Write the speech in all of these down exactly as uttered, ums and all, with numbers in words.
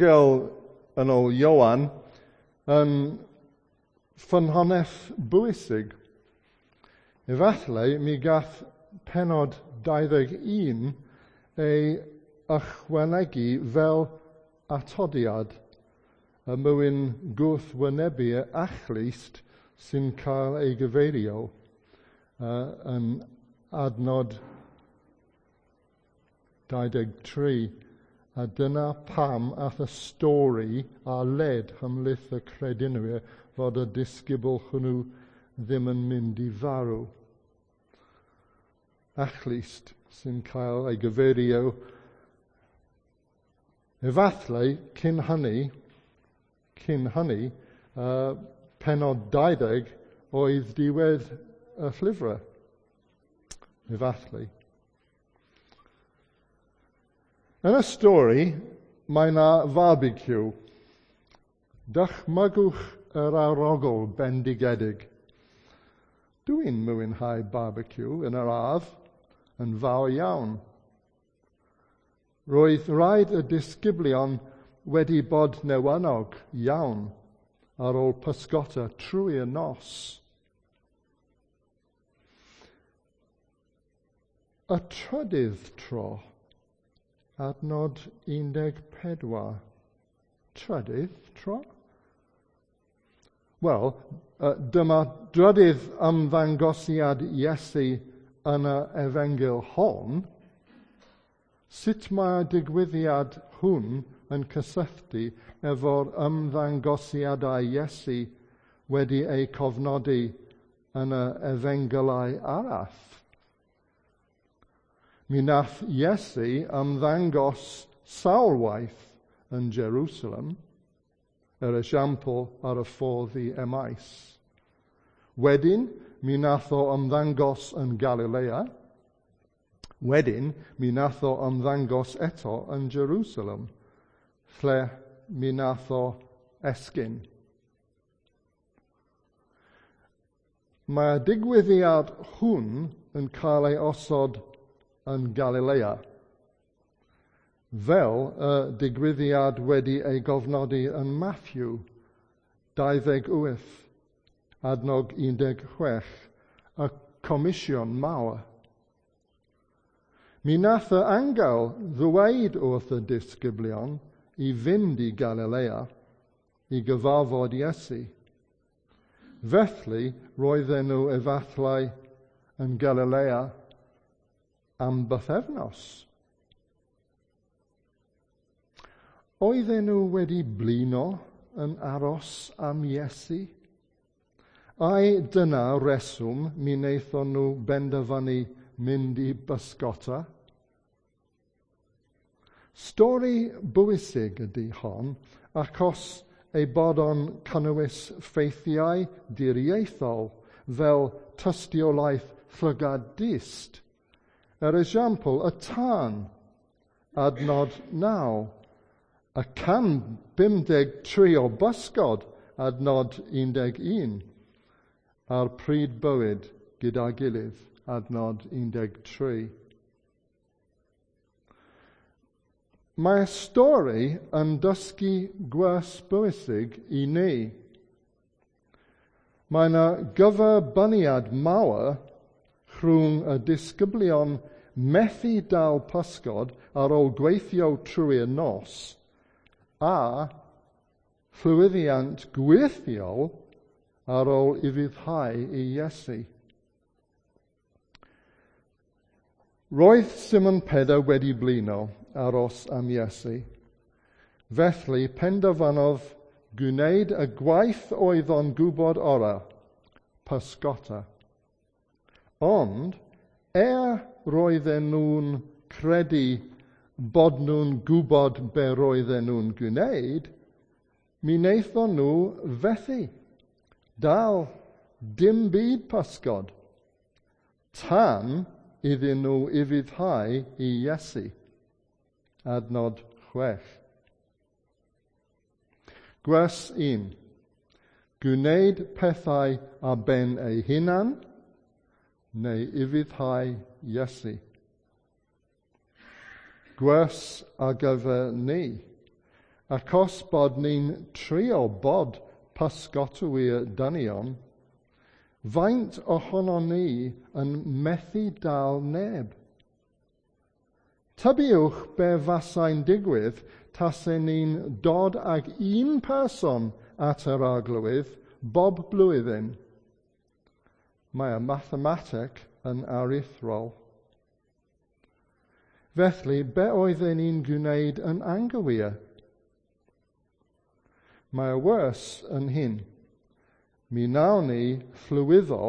Efengyl yn ôl Ioan yn ffynhonnell bwysig. Efallai mi gath pennod dau ddeg un ei ychwanegu fel atodiad y mwyn gwrthwynebu achlust sy'n cael ei gyfeirio uh, yn adnod dau deg tri. A dyna pam ath y stori a led ymhlith y credinwyr fod y disgybl hwnnw ddim yn mynd i farw. Achlust sy'n cael ei gyfeirio. Efallai cyn hynny, cyn hynny, uh, pennod dau ddeg oedd diwedd y llyfrau. Efallai. Yn y stori, mae yna barbecue. Dychmygwch yr arogl bendigedig. Dwi'n mwynhau barbecue yn yr ardd yn fawr iawn. Roedd rhaid y disgyblion wedi bod newynog iawn ar ôl pysgota trwy y nos. Y trydydd tro, adnod un deg pedwar. Trydydd tro? Wel, dyma drydydd ymddangosiad Iesu yn y efengyl hon. Sut mae'r digwyddiad hwn yn cysylltu efo'r ymddangosiadau Iesu wedi eu cofnodi yn y efengylau arall? Mi nath Iesu ymddangos sawl waith yn Jerusalem, er esiampl ar y ffordd i Emmaus. Wedyn, mi nath o ymddangos yn Galilea. Wedyn, mi nath o ymddangos eto yn Jerusalem, lle mi nath o esgyn. Mae'r digwyddiad hwn yn cael ei osod yn Galilea, fel y digwyddiad wedi ei gofnodi yn Matthew dau ddeg wyth, adnog un deg chwech, y comisiwn mawr. Mi nath y angel ddweud wrth y disgyblion i fynd i Galilea i gyfarfod Iesu. Felly roedden nhw efallai yn Galilea am bythefnos. Oedden nhw wedi blino yn aros am Iesu? Ai dyna reswm mi wnaethon nhw benderfynu mynd i bysgota? Stori bwysig ydy hon, achos ei bod o'n cynnwys ffeithiau diriaethol fel tystiolaeth llygad dyst. Er esiampl, y tân, adnod naw, y can bum deg tri o bysgod, adnod un deg un, a'r pryd bywyd gyda'i gilydd, adnod un deg tri. Mae'r stori yn dysgu gwers bwysig i ni. Mae yna gyferbyniad mawr rhwng y disgyblion methu dal pysgod ar ôl gweithio trwy'r nos a llwyddiant gwirthiol ar ôl ufuddhau i Iesu. Roedd Simon Pedr wedi blino aros am Iesu. Felly penderfynodd gwneud y gwaith oedd o'n gwybod orau, pysgota. Ond, er roedden nhw'n credu bod nhw'n gwybod be roedden nhw'n gwneud, mi wnaethon nhw fethu. Dal dim byd pysgod, tan iddyn nhw ufuddhau i Iesu. Adnod chwech. Gwers un. Gwneud pethau ar ben ei hunan, neu ufuddhau Iesu. Gwers ar gyfer ni. Achos bod ni'n trio bod pysgotwyr dynion, faint ohonon ni yn methu dal neb? Tybiwch be fasai'n digwydd tasen ni'n dod ag un person at yr Arglwydd bob blwyddyn. Mae y mathemateg yn aruthrol. Felly, be oedden ni'n gwneud yn anghywir? Mae y wers yn hyn. Mi wnawn ni llwyddo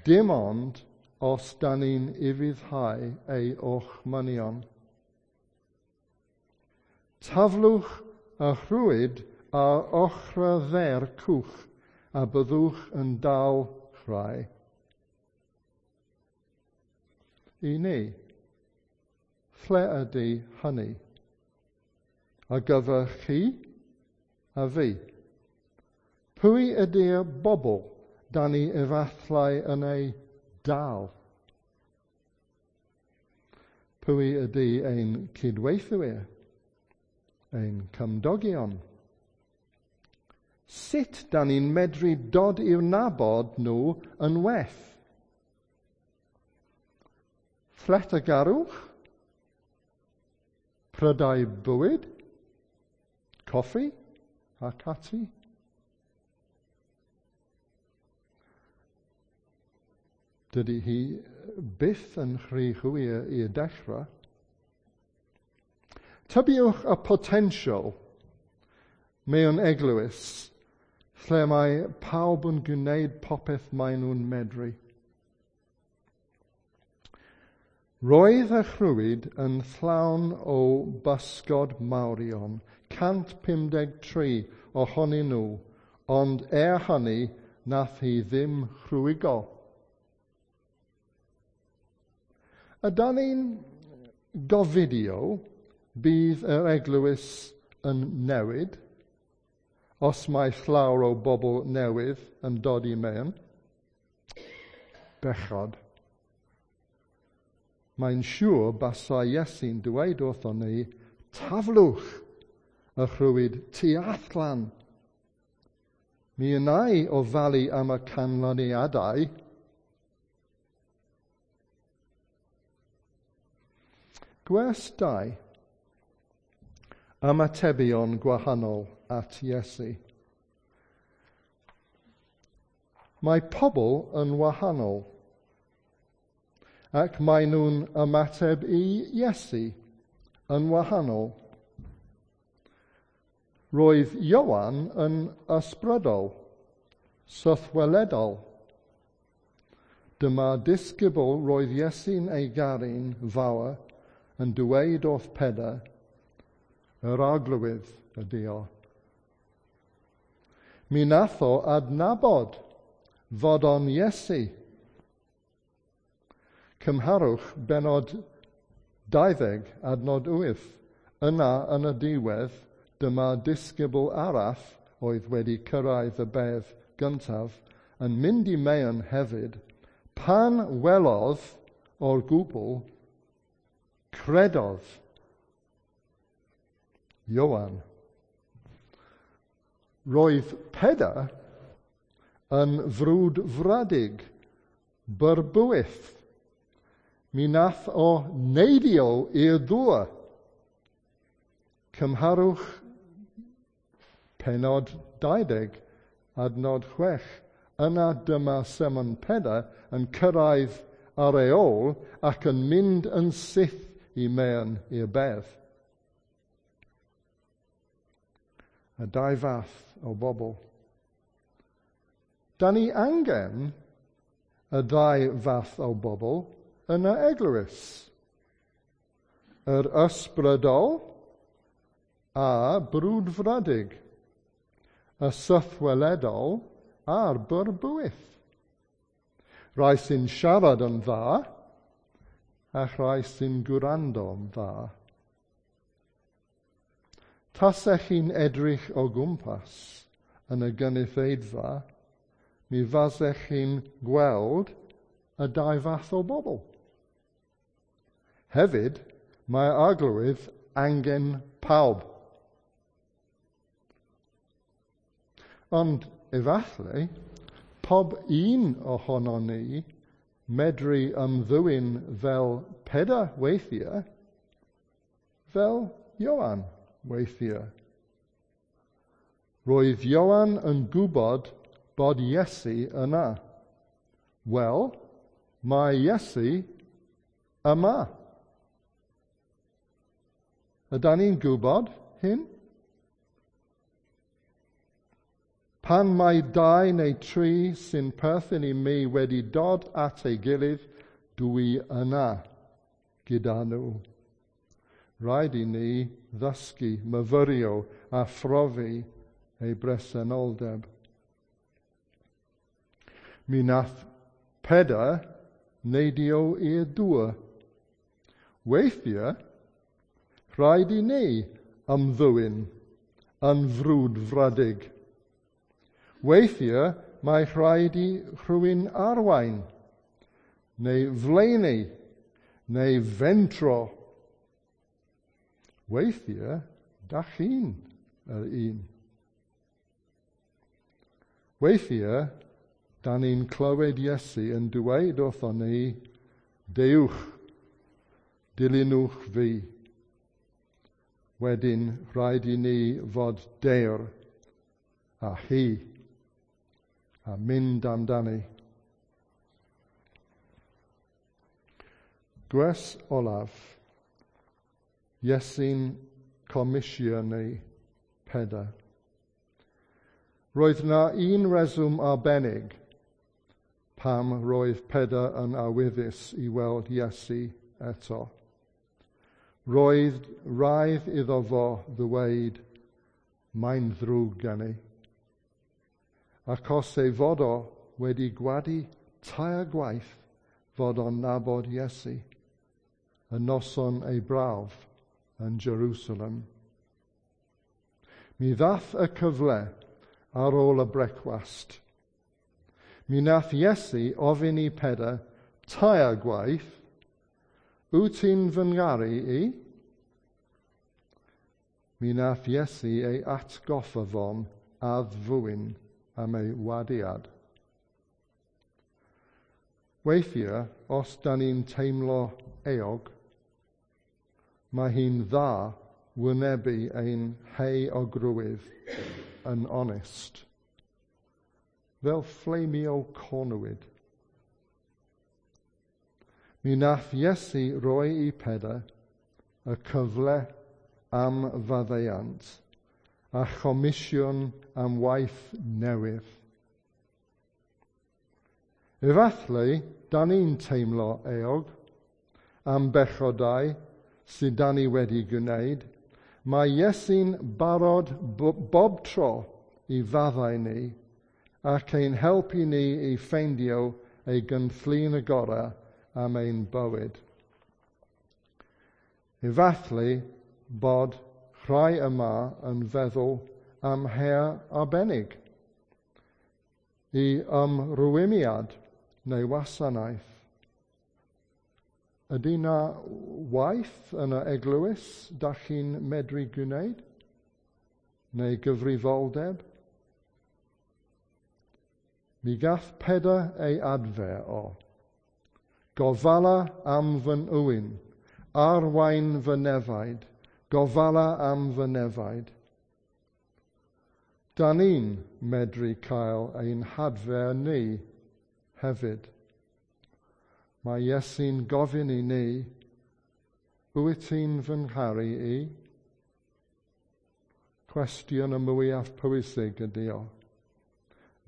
dim ond os da ni'n ufuddhau ei orchmynion. Taflwch y rhwyd ar ochr dde'r cwch a byddwch yn dal rhai. I ni, lle ydy hynny? Ar gyfer chi a fi. Pwy ydy'r bobl da ni efallai yn ei dal? Pwy ydy ein cydweithwyr, ein cymdogion? Sut da ni'n medru dod i'w nabod nhw yn well? Lletygarwch? Prydau bwyd? Coffi? Ac ati? Dydy hi byth yn rhy hwyr i dechrau. Tybiwch y potensial mewn eglwys lle mae pawb yn gwneud popeth maen nhw'n medru. Roedd y rhwyd yn llawn o bysgod mawrion, cant pum deg tri ohonyn nhw, ond er hynny nath hi ddim rhwygo. Ydan ni'n gofidio bydd yr eglwys yn newid os mae llawer o bobl newydd yn dod i mewn? Bechod. Mae'n siŵr basai Iesu'n dweud wrthon ni, taflwch y rhwyd tu allan. Mi wna i ofalu am y canlyniadau. Gwers dau. Ymatebion gwahanol at Iesu. Mae pobl yn wahanol, ac mae nhw'n ymateb i Iesu yn wahanol. Roedd Ioan yn ysbrydol, sythweledol. Dyma disgybl roedd Iesu'n ei garu'n fawr yn dweud wrth Pedr, yr Arglwydd ydy o. Mi nath o adnabod fod o'n Iesu. Cymharwch benod dauddeg adnod wyth. Yna yn y diwedd, dyma disgybl arall oedd wedi cyrraedd y bedd gyntaf yn mynd i mewn hefyd. Pan welodd o'r gwbl, credodd Ioan. Roedd Pedr yn frwdfrydig, byrbwyll. Mi nath o neidio i'r dŵr. Cymharwch penod dauddeg, adnod chwech. Yna dyma Simon Pedr yn cyrraedd ar ei ôl ac yn mynd yn syth i mewn i'r bedd. Y dau fath o bobl. Da ni angen y ddau fath o bobl yn y eglwys. Yr ysbrydol a brwdfrydig, y sythweledol a'r byrbwyll. Rhai sy'n siarad yn dda a rhai sy'n gwrando yn dda. Tasech chi'n edrych o gwmpas yn y gynulleidfa, mi fasech chi'n gweld y dau fath o bobl. Hefyd, mae Arglwydd angen pawb. Ond efallai, pob un ohono ni medru ymddwyn fel Pedr weithiau, fel Ioan weithiau. Roedd Ioan yn gwybod bod Iesu yna. Wel, mae Iesu yma. Ydan ni'n gwybod hyn? Pan mae dau neu tri sy'n perthyn i mi wedi dod at ei gilydd, dwi yna gyda nhw. Rhaid i ni ddysgu, myfyrio a phrofi ei bresenoldeb. Mi nath Pedr neidio i'r dŵr. Weithiau, rhaid i ni ymddwyn yn frwdfrydig. Weithiau, mae rhaid i rhywun arwain, neu flaenu, neu fentro. Weithiau, da chi'n yr un. Weithiau, da ni'n clywed Iesu yn dweud wrthon ni, deuwch, dilynwch fi. Wedyn, rhaid i ni fod dewr a hi a mynd amdani. Gwers olaf, Iesu'n comisiynu Pedr. Roedd na un reswm arbennig pam roedd Pedr yn awyddus i weld Iesu eto. Roedd rhaid iddo fo ddweud, mae'n ddrwg gen i. Achos ei fod o wedi gwadu tair gwaith fod o'n nabod Iesu, y noson ei brawf yn Jerusalem. Mi ddath y cyfle ar ôl y brecwast. Mi nath Iesu ofyn i Pedr tair gwaith, wyt ti'n fy ngaru i? Mi nath Iesu ei atgoffa fo'n addfwyn am ei wadiad. Weithiau, os da ni'n teimlo euog, mae hi'n dda wynebu ein heuogrwydd yn onest, fel fflamio cornwyd. Mi nath Iesu roi i Pedr y cyfle am faddeuant a chomisiwn am waith newydd. Efallai, da ni'n teimlo euog am bechodau sydd da ni wedi gwneud. Mae Iesu'n barod bob tro i faddau ni ac ein helpu ni i ffeindio ei gynllun y gorau am ein bywyd. Efallai bod rhai yma yn feddwl am her arbennig i ymrwymiad neu wasanaeth. Ydy na waith yn y eglwys da chi'n medru gwneud? Neu gyfrifoldeb? Mi gath Pedr ei adfer o. Gofala am fy ŵyn, arwain fy nefaid, gofala am fy nefaid. Da ni'n medru cael ein hadfer ni hefyd. Mae Iesu'n gofyn i ni, wyt ti'n fy ngharu i? Cwestiwn y mwyaf pwysig ydy o.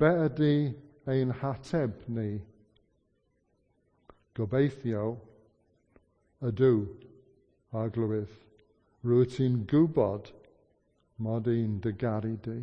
Be ydy ein hateb ni? Gobeithio ydw, Arglwydd, rwyt ti'n gwybod mod i'n dy garu di.